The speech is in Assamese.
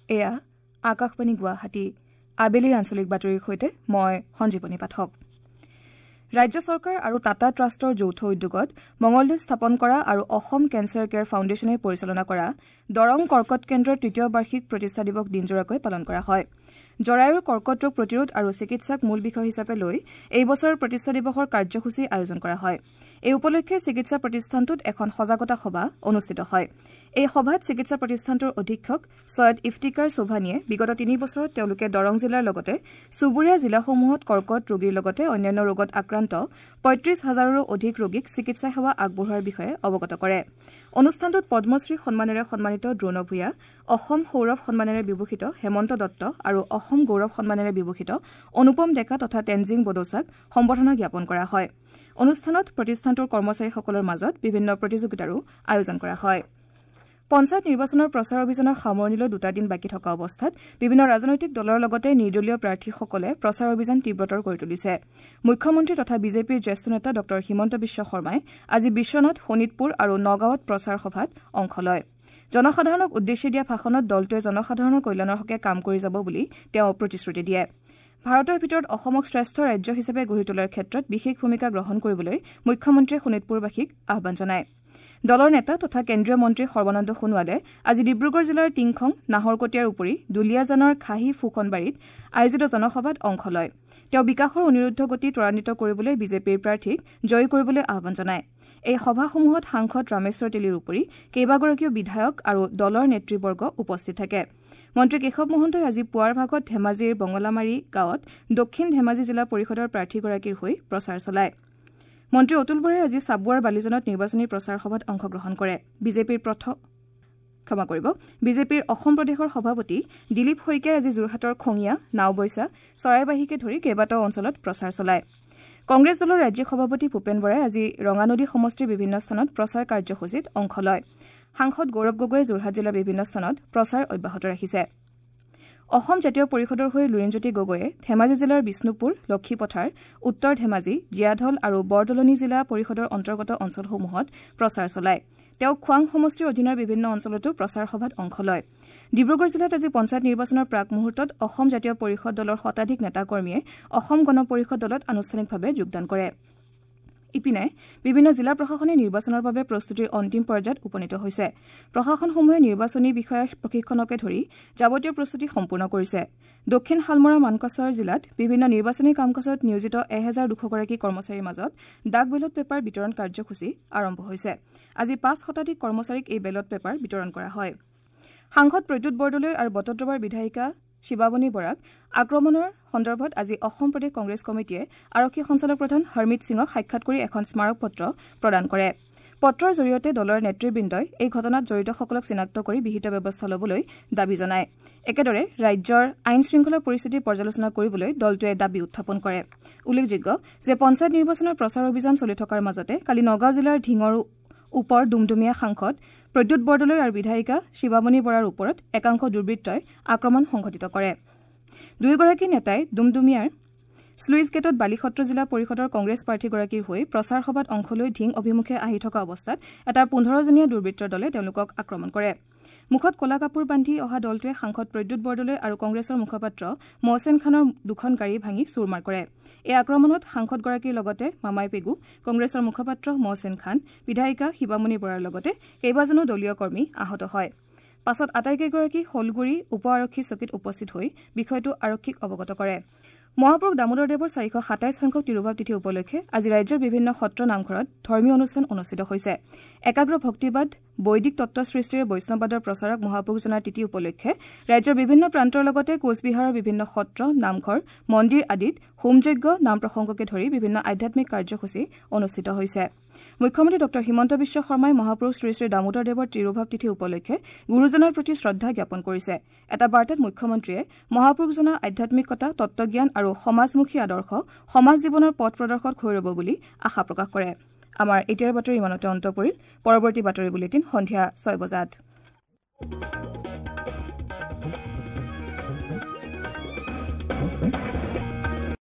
এয়া আকাশবাণী গুৱাহাটী। আবেলিৰ আঞ্চলিক বাতৰিৰ সৈতে মই সঞ্জীৱনী পাঠক। ৰাজ্য চৰকাৰ আৰু টাটা ট্ৰাষ্টৰ যৌথ উদ্যোগত মঙলদৈত স্থাপন কৰা আৰু অসম কেঞ্চাৰ কেয়াৰ ফাউণ্ডেশ্যনে পৰিচালনা কৰা দৰং কৰ্কট কেন্দ্ৰৰ তৃতীয় বাৰ্ষিক প্ৰতিষ্ঠা দিৱস দিনজোৰাকৈ পালন কৰা হয়। জৰায়ুৰ কৰ্কট ৰোগ প্ৰতিৰোধ আৰু চিকিৎসাক মূল বিষয় হিচাপে লৈ এই বছৰৰ প্ৰতিষ্ঠা দিৱসৰ কাৰ্যসূচী আয়োজন কৰা হয়। এই উপলক্ষে চিকিৎসা প্ৰতিষ্ঠানটোত এখন সজাগতা সভা অনুষ্ঠিত হয়। এই সভাত চিকিৎসা প্ৰতিষ্ঠানটোৰ অধীক্ষক ছৈয়দ ইফতিকাৰ চৌভানীয়ে বিগত 3 বছৰত তেওঁলোকে দৰং জিলাৰ লগতে চুবুৰীয়া জিলাসমূহত কৰ্কট ৰোগীৰ লগতে অন্যান্য ৰোগত আক্ৰান্ত 35 হাজাৰৰো অধিক ৰোগীক চিকিৎসা সেৱা আগবঢ়োৱাৰ বিষয়ে অৱগত কৰে। অনুষ্ঠানটোত পদ্মশ্ৰী সন্মানেৰে সন্মানিত দ্ৰোণ ভূঞা, অসম সৌৰভ সন্মানেৰে বিভূষিত হেমন্ত দত্ত আৰু অসম গৌৰৱ সন্মানেৰে বিভূষিত অনুপম ডেকা তথা তেনজিং বদৌচাক সম্বৰ্ধনা জ্ঞাপন কৰা হয়। অনুষ্ঠানত প্ৰতিষ্ঠানটোৰ কৰ্মচাৰীসকলৰ মাজত বিভিন্ন প্ৰতিযোগিতাৰো আয়োজন কৰা হয়। পঞ্চায়ত নিৰ্বাচনৰ প্ৰচাৰ অভিযানৰ সামৰণিলৈ দুটা দিন বাকী থকা অৱস্থাত বিভিন্ন ৰাজনৈতিক দলৰ লগতে নিৰ্দলীয় প্ৰাৰ্থীসকলে প্ৰচাৰ অভিযান তীব্ৰতৰ কৰি তুলিছে। মুখ্যমন্ত্ৰী তথা বিজেপিৰ জ্যেষ্ঠ নেতা ডঃ হিমন্ত বিশ্ব শৰ্মাই আজি বিশ্বনাথ, শোণিতপুৰ আৰু নগাঁৱত প্ৰচাৰ সভাত অংশ লয়। জনসাধাৰণক উদ্দেশ্যি দিয়া ভাষণত দলটোৱে জনসাধাৰণৰ কল্যাণৰ হকে কাম কৰি যাব বুলি তেওঁ প্ৰতিশ্ৰুতি দিয়ে। ভাৰতৰ ভিতৰত অসমক শ্ৰেষ্ঠ ৰাজ্য হিচাপে গঢ়ি তোলাৰ ক্ষেত্ৰত বিশেষ ভূমিকা গ্ৰহণ কৰিবলৈ মুখ্যমন্ত্ৰীয়ে শোণিতপুৰবাসীক আহ্বান জনায়। দলৰ নেতা তথা কেন্দ্ৰীয় মন্ত্ৰী সৰ্বানন্দ সোণোৱালে আজি ডিব্ৰুগড় জিলাৰ টিংখং, নাহৰকটীয়াৰ উপৰি দুলীয়াজানৰ খাহী ফুকনবাৰীত আয়োজিত জনসভাত অংশ লয়। তেওঁ বিকাশৰ অনিৰুদ্ধ গতি ত্বৰান্বিত কৰিবলৈ বিজেপিৰ প্ৰাৰ্থীক জয়ী কৰিবলৈ আহ্বান জনায়। এই সভাসমূহত সাংসদ ৰামেশ্বৰ তেলীৰ উপৰি কেইবাগৰাকীও বিধায়ক আৰু দলৰ নেতৃবৰ্গ উপস্থিত থাকে। মন্ত্ৰী কেশৱ মহন্তই আজি পুৱাৰ ভাগত ধেমাজিৰ বঙলামাৰী গাঁৱত দক্ষিণ ধেমাজি জিলা পৰিষদৰ প্ৰাৰ্থীগৰাকীৰ হৈ প্ৰচাৰ চলায়। মন্ত্ৰী অতুল বৰাই আজি চাবুৱাৰ বালিজানত নিৰ্বাচনী প্ৰচাৰ সভাত অংশগ্ৰহণ কৰে। বিজেপিৰ অসম প্ৰদেশৰ সভাপতি দিলীপ শইকীয়াই আজি যোৰহাটৰ খঙীয়া, নাওবৈচা, চৰাইবাহীকে ধৰি কেইবাটাও অঞ্চলত প্ৰচাৰ চলায়। কংগ্ৰেছ দলৰ ৰাজ্যিক সভাপতি ভূপেন বৰাই আজি ৰঙানদী সমষ্টিৰ বিভিন্ন স্থানত প্ৰচাৰ কাৰ্যসূচীত অংশ লয়। সাংসদ গৌৰৱ গগৈয়ে যোৰহাট জিলাৰ বিভিন্ন স্থানত প্ৰচাৰ অব্যাহত ৰাখিছে। অসম জাতীয় পৰিষদৰ হৈ লুৰিণজ্যোতি গগৈয়ে ধেমাজি জিলাৰ বিষ্ণুপুৰ, লক্ষীপথাৰ, উত্তৰ ধেমাজি, জীয়াঢল আৰু বৰদলনি জিলা পৰিষদৰ অন্তৰ্গত অঞ্চলসমূহত প্ৰচাৰ চলায়। তেওঁ খোৱাং সমষ্টিৰ অধীনৰ বিভিন্ন অঞ্চলতো প্ৰচাৰ সভাত অংশ লয়। ডিব্ৰুগড় জিলাত আজি পঞ্চায়ত নিৰ্বাচনৰ প্ৰাক মুহূৰ্তত অসম জাতীয় পৰিষদ দলৰ শতাধিক নেতাকৰ্মীয়ে অসম গণ পৰিষদ দলত আনুষ্ঠানিকভাৱে যোগদান কৰে। ইপিনে বিভিন্ন জিলা প্ৰশাসনে নিৰ্বাচনৰ বাবে প্ৰস্তুতিৰ অন্তিম পৰ্যায়ত উপনীত হৈছে। প্ৰশাসনসমূহে নিৰ্বাচনী বিষয়াৰ প্ৰশিক্ষণকে ধৰি যাৱতীয় প্ৰস্তুতি সম্পূৰ্ণ কৰিছে। দক্ষিণ শালমৰা মানকাছাৰ জিলাত বিভিন্ন নিৰ্বাচনী কাম কাজত নিয়োজিত 1200 গৰাকী কৰ্মচাৰীৰ মাজত ডাক বেলট পেপাৰ বিতৰণ কাৰ্যসূচী আৰম্ভ হৈছে। আজি 5 শতাধিক কৰ্মচাৰীক এই বেলট পেপাৰ বিতৰণ কৰা হয়। সাংসদ প্ৰদ্যুৎ বৰদলৈ আৰু বটদ্ৰৱাৰ বিধায়িকা শিৱামণি বৰাক আক্ৰমণৰ সন্দৰ্ভত আজি অসম প্ৰদেশ কংগ্ৰেছ কমিটিয়ে আৰক্ষী সঞ্চালকপ্ৰধান হৰমিত সিঙক সাক্ষাৎ কৰি এখন স্মাৰকপত্ৰ প্ৰদান কৰে। পত্ৰৰ জৰিয়তে দলৰ নেতৃবৃন্দই এই ঘটনাত জড়িতসকলক চিনাক্ত কৰি বিহিত ব্যৱস্থা ল'বলৈ দাবী জনায়। একেদৰে ৰাজ্যৰ আইন শৃংখলা পৰিস্থিতি পৰ্যালোচনা কৰিবলৈ দলটোৱে দাবী উত্থাপন কৰে। উল্লেখযোগ্য যে পঞ্চায়ত নিৰ্বাচনৰ প্ৰচাৰ অভিযান চলি থকাৰ মাজতে কালি নগাঁও জিলাৰ ঢিঙৰ ওপৰ ডুমডুমীয়া সাংসদ প্ৰদ্যুৎ বৰদলৈ আৰু বিধায়িকা শিৱামণি বৰাৰ ওপৰত একাংশ দুৰ্বৃত্তই আক্ৰমণ সংঘটিত কৰে। দুয়োগৰাকী নেতাই ডুমডুমীয়াৰ শ্লুইচ গেটত বালিসত্ৰ জিলা পৰিষদৰ কংগ্ৰেছ প্ৰাৰ্থীগৰাকীৰ হৈ প্ৰচাৰ সভাত অংশ লৈ ঢিং অভিমুখে আহি থকা অৱস্থাত এটা 15জনীয়া দুৰ্বৃত্তৰ দলে তেওঁলোকক আক্ৰমণ কৰে। মুখত ক'লা কাপোৰ বান্ধি অহা দলটোৱে সাংসদ প্ৰদ্যুৎ বৰদলৈ আৰু কংগ্ৰেছৰ মুখপাত্ৰ মহছেন খানৰ দুখন গাড়ী ভাঙি চুৰমাৰ কৰে। এই আক্ৰমণত সাংসদগৰাকীৰ লগতে মামাই পেগু, কংগ্ৰেছৰ মুখপাত্ৰ মহছেন খান, বিধায়িকা শিৱামণি বৰাৰ লগতে কেইবাজনো দলীয় কৰ্মী আহত হয়। পাছত আটাইকেইগৰাকী শলগুৰি উপ আৰক্ষী চকীত উপস্থিত হৈ বিষয়টো আৰক্ষীক অৱগত কৰে। মহাপুৰুষ দামোদৰ দেৱৰ 427 সংখ্যক তিৰুভাৱ তিথি উপলক্ষে আজি ৰাজ্যৰ বিভিন্ন সত্ৰ নামঘৰত ধৰ্মীয় অনুষ্ঠান অনুষ্ঠিত হৈছে। একাগ্ৰ ভক্তিবাদ, বৈদিক তত্ব সৃষ্টিৰে বৈষ্ণৱবাদৰ প্ৰচাৰক মহাপুৰুষজনাৰ তিথি উপলক্ষে ৰাজ্যৰ বিভিন্ন প্ৰান্তৰ লগতে কোচবিহাৰৰ বিভিন্ন সত্ৰ, নামঘৰ, মন্দিৰ আদিত হোমযজ্ঞ, নাম প্ৰসংগকে ধৰি বিভিন্ন আধ্যাত্মিক কাৰ্যসূচী অনুষ্ঠিত হৈছে। মুখ্যমন্ত্ৰী ডঃ হিমন্ত বিশ্ব শৰ্মাই মহাপুৰুষ শ্ৰী শ্ৰী দামোদৰ দেৱৰ তিৰুভাৱ তিথি উপলক্ষে গুৰুজনাৰ প্ৰতি শ্ৰদ্ধা জ্ঞাপন কৰিছে। এটা বাৰ্তাত মুখ্যমন্ত্ৰীয়ে মহাপুৰুষজনাৰ আধ্যাত্মিকতা, তত্বজ্ঞান আৰু সমাজমুখী আদৰ্শ সমাজ জীৱনৰ পথ প্ৰদৰ্শক হৈ ৰ'ব বুলি আশা প্ৰকাশ কৰে। আমাৰ এতিয়াৰ বাতৰি ইমানতে অন্ত পৰিল। পৰৱৰ্তী বাতৰি বুলেটিন সন্ধিয়া 6 বজাত।